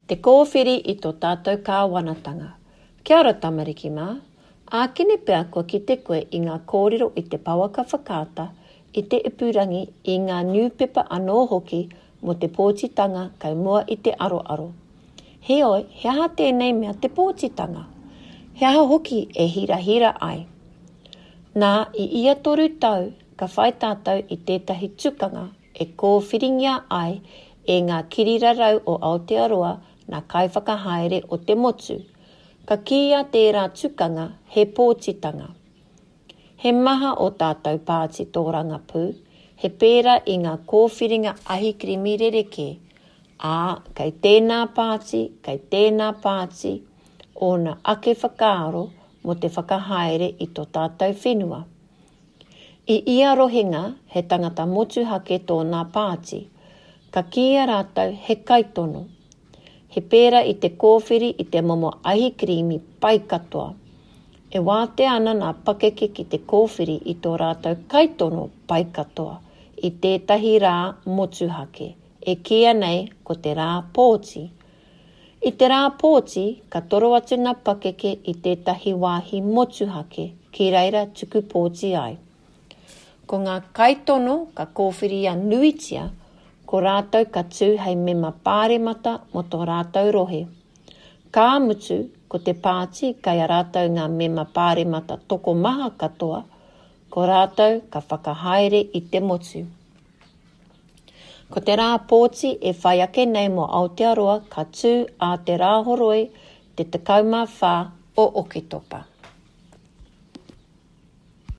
Te kōwhiri i tō tātou kāwanatanga. Kia ora tamariki mā. Ākene pea kua kite koe i ngā kōrero i te pouaka whakaata, i te ipurangi, i ngā niupepa anō hoki mō te pōtitanga kei mua i te aroaro. Heoi, he aha tēnei mea te pōtitanga? He aha hoki e hirahira ai? Nā, i ia toru tau, ka whai tātou i tētahi tukanga e kōwhiringia ai e ngā kirirarau o Aotearoa nā kaiwhakahaere o te motu. Ka kīia tērā tukanga he pōtitanga. He maha ō tātou pāti tōrangapū, he pērā i ngā kōwhiringa ahikirimi rerekē, ā, kei tēnā pāti, kei tēnā pāti ōna ake whakaaro mō te whakahaere i tō tātou whenua. I ia rohenga he tangata motuhake tōnā pāti. Ka kīia rātou he kaitono. He pērā i te kōwhiri i te momo ahikirīmi pai katoa. E wātea ana nā pakeke ki te kōwhiri i tō rātou kaitono pai katoa i tētahi rā motuhake, e kīia nei ko te rā pōti. I te rā pōti, ka toro atu ngā pakeke i tētahi wāhi motuhake ki reira tuku pōti ai. Ko ngā kaitono ka kōwhiria nuitia, ko rātou ka tū hei mema pāremata mō tō rātou rohe. Ka mutu, ko te pāti kei a rātou ngā mema pāremata tokomaha katoa, ko rātou ka whakahaere i te motu. Ko te rā pōti e whai ake nei mō Aotearoa ka tū ā te Rāhoroi te 14 o Oketopa.